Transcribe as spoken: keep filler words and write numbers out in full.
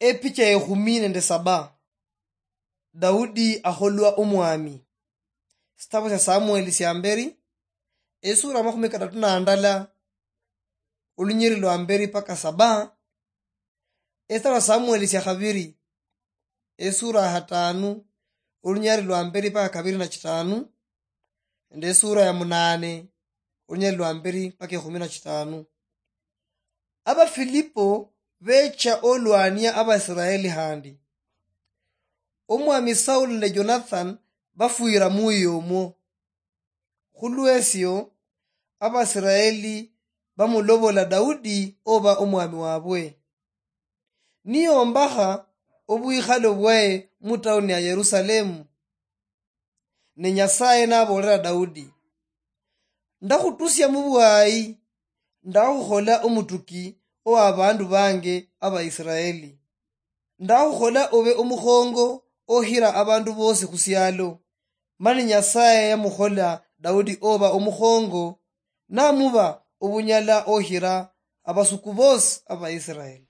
Epicha ekhumi nende saba. Daudi akholwa omwami. Sitabu sia Samueli sia mberi, esura amakhumi katatu na ndala, olunyiri lwa mberi paka saba. Esitabu sia Samueli sia khabiri, esura ya khatanu, olunyiri lwa mberi paka kabiri na chitanu, nende esura ya munane, olunyiri lwa mberi paka ekhumi na chitanu. Abafilipo becha olwania Abaisiraeli khandi. Omwami Saul nende Jonathan bafwira muyo omwo. Khulwesio, Abaisiraeli bamulobola Daudi oba omwami wabwe. Niyombakha obwikhalo bwaye mu tauni ya Yerusalemu. Ne Nyasaye naboolera Daudi, "Ndakhutusia mu bwayi, ndakhukhola omutuki owa bandu bange Abaisiraeli. Ndakhukhola obe omukhongo okhira abandu bosi khusialo." Mani Nyasaye yamukhola Daudi oba omukhongo, namuba obunyala okhira abasuku bosi Abaisiraeli.